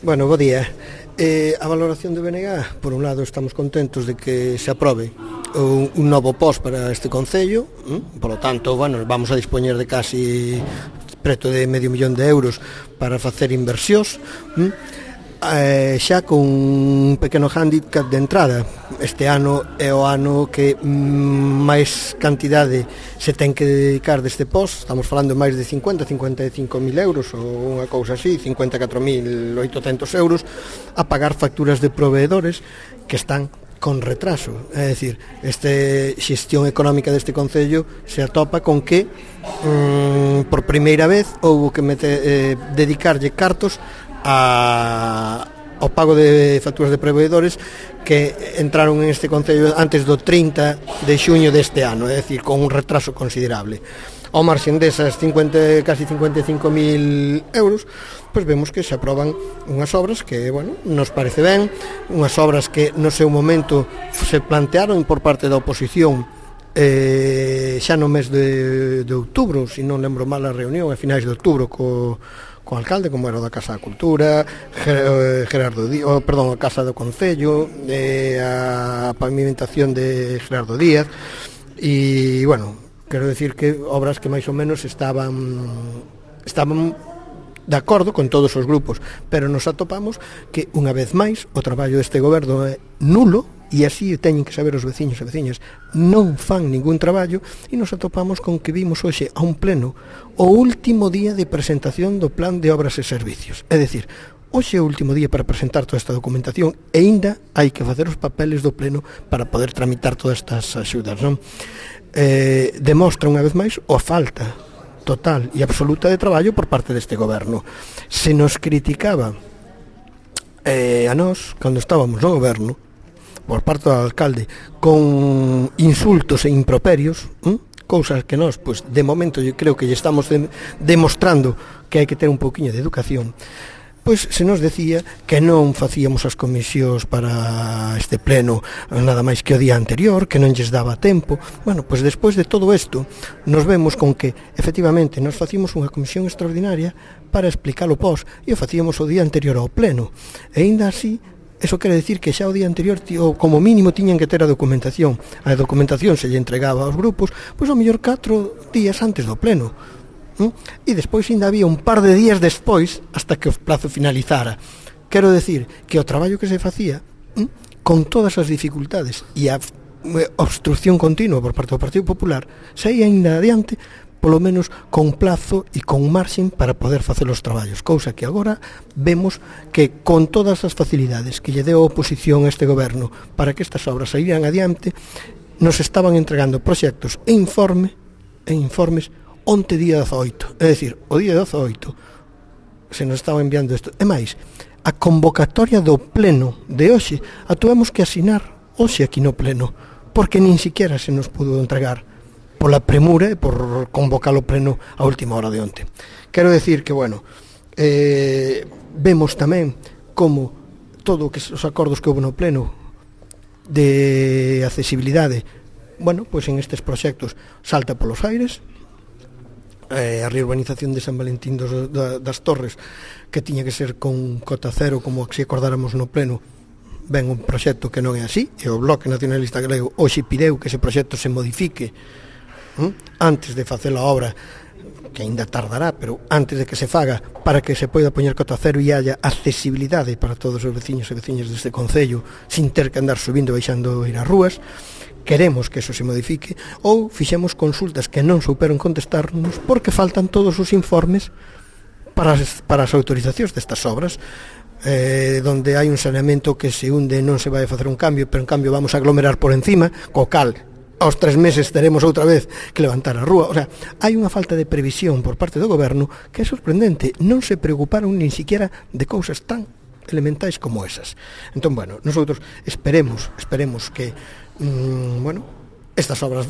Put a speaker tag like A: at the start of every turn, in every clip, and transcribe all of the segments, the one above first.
A: Bueno, bo día. A valoración do BNG, por un lado estamos contentos de que se aprobe un novo POS para este Concello, polo tanto, bueno, vamos a dispoñer de casi preto de medio millón de euros para facer inversións, xa con un pequeno handicap de entrada. Este ano é o ano que máis cantidade se ten que dedicar deste POS, estamos falando de máis de 55.000 euros ou unha cousa así, 54.800 euros a pagar facturas de proveedores que están con retraso. É dicir, esta xestión económica deste Concello se atopa con que por primeira vez houbo que dedicarlle cartos ao pago de facturas de proveedores que entraron en este Concello antes do 30 de xuño deste ano, é dicir, con un retraso considerable. Ao marxen desas casi 55.000 euros, pois vemos que se aproban unhas obras que, bueno, nos parece ben, unhas obras que no seu momento se plantearon por parte da oposición xa no mes de outubro, se non lembro mal a reunión, a finais de outubro co alcalde, como era o da Casa da Cultura, a Casa do Concello, a pavimentación de Gerardo Díaz, e, bueno, quero decir que obras que máis ou menos estaban de acordo con todos os grupos, pero nos atopamos que, unha vez máis, o traballo deste goberno é nulo, e así teñen que saber os veciños e veciñas, non fan ningún traballo, e nos atopamos con que vimos hoxe a un pleno o último día de presentación do plan de obras e servicios. É dicir, hoxe é o último día para presentar toda esta documentación e aínda hai que facer os papeles do pleno para poder tramitar todas estas axudas, non? Demostra unha vez máis a falta total e absoluta de traballo por parte deste goberno. Se nos criticaba a nós, cando estábamos no goberno, por parte do alcalde, con insultos e improperios, cousas que nós, pois, de momento, eu creo que lle estamos demostrando que hai que ter un pouquiño de educación, pois se nos decía que non facíamos as comisións para este pleno nada máis que o día anterior, que non lles daba tempo. Bueno, pois despois de todo isto, nos vemos con que, efectivamente, nos facíamos unha comisión extraordinaria para explicar o POS, e o facíamos o día anterior ao pleno, e aínda así, eso quere decir que xa o día anterior, como mínimo, tiñan que ter a documentación. A documentación se lle entregaba aos grupos, pois ao mellor 4 días antes do pleno. E despois ainda había un par de días despois hasta que o plazo finalizara. Quero decir que o traballo que se facía, con todas as dificultades e a obstrucción continua por parte do Partido Popular, saía ainda adiante, polo menos con plazo e con marxen para poder facer os traballos, cousa que agora vemos que con todas as facilidades que lle deu a oposición a este goberno para que estas obras saíran adiante, nos estaban entregando proxectos e informes onte día 18, é dicir, o día 18 se nos estaba enviando isto. E máis, a convocatoria do pleno de hoxe a tuvemos que asinar hoxe aquí no pleno, porque nin siquiera se nos pudo entregar pola premura e por convocar o pleno a última hora de onte. Quero decir que, bueno, vemos tamén como todo que os acordos que houve no pleno de accesibilidade, bueno, pois en estes proxectos salta polos aires. A reurbanización de San Valentín das Torres, que tiña que ser con cota cero, como se acordáramos no pleno, ven un proxecto que non é así, e o Bloque Nacionalista Galego hoxe pideu que ese proxecto se modifique antes de facer a obra, que ainda tardará, pero antes de que se faga, para que se poida poñer cota cero e haya accesibilidade para todos os veciños e veciñas deste Concello, sin ter que andar subindo e baixando ir ás rúas. Queremos que eso se modifique, ou fixemos consultas que non souperon contestarnos porque faltan todos os informes para as autorizacións destas obras, donde hai un saneamento que se hunde non se vai a facer un cambio, pero en cambio vamos a aglomerar por encima, co cal aos 3 meses teremos outra vez que levantar a rúa. O sea, hai unha falta de previsión por parte do goberno que é sorprendente. Non se preocuparon nin siquiera de cousas tan elementais como esas. Entón, bueno, nosotros esperemos que estas obras,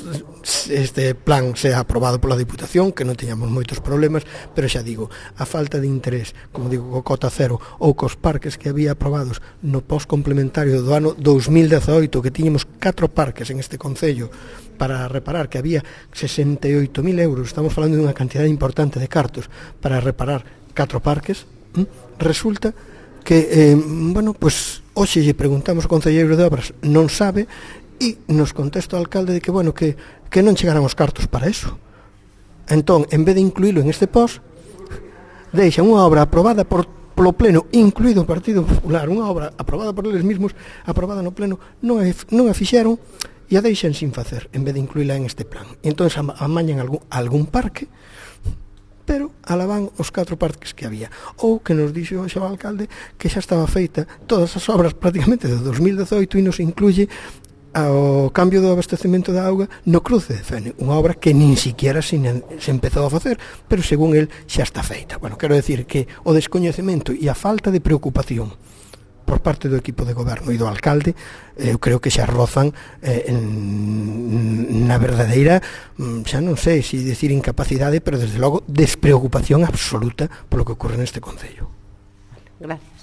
A: este plan sea aprobado pola Diputación, que non teñamos moitos problemas, pero xa digo, a falta de interés, como digo, co cota cero ou cos parques que había aprobados no POS complementario do ano 2018, que tiñamos 4 parques en este Concello para reparar, que había 68.000 euros, estamos falando de unha cantidad importante de cartos para reparar 4 parques, resulta que, bueno, pois hoxe lle preguntamos ao concelleiro de obras, non sabe, e nos contesta o alcalde de que, bueno, que non chegaran os cartos para eso. Entón, en vez de incluílo en este post, deixan unha obra aprobada polo pleno, incluído o Partido Popular, unha obra aprobada por eles mesmos, aprobada no pleno, non a fixeron e a deixan sin facer, en vez de incluíla en este plan. E entón amañan algún parque, pero alaban os 4 parques que había. Ou que nos dixo o alcalde que xa estaba feita todas as obras prácticamente de 2018 e nos incluye ao cambio do abastecemento da auga no cruce de Fene, unha obra que nin siquiera se empezou a facer, pero según el xa está feita. Bueno, quero decir que o descoñecemento e a falta de preocupación por parte do equipo de goberno e do alcalde, eu creo que xa rozan na verdadeira, xa non sei se decir incapacidade, pero desde logo despreocupación absoluta polo que ocorre neste concello.
B: Gracias.